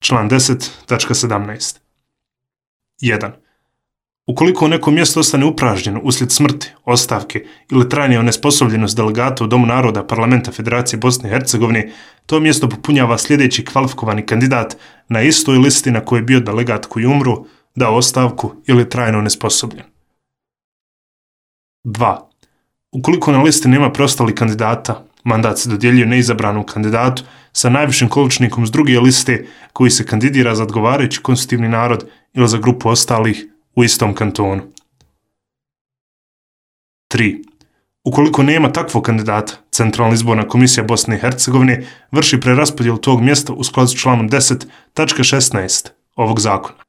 Član 10.17. 1. Ukoliko neko mjesto ostane upražnjeno uslijed smrti, ostavke ili trajne onesposobljenosti delegata u Domu naroda Parlamenta Federacije Bosne i Hercegovine, to mjesto popunjava sljedeći kvalifikovani kandidat na istoj listi na kojoj je bio delegat koji umru, dao ostavku ili trajno onesposobljen. 2. Ukoliko na listi nema preostalih kandidata, mandat se dodjeljuje neizabranom kandidatu sa najvišim količnikom s druge liste koji se kandidira za odgovarajući konstitutivni narod ili za grupu ostalih u istom kantonu. 3. Ukoliko nema takvog kandidata, Centralna izborna komisija Bosne i Hercegovine vrši preraspodjelu tog mjesta u skladu s članom 10.16 ovog zakona.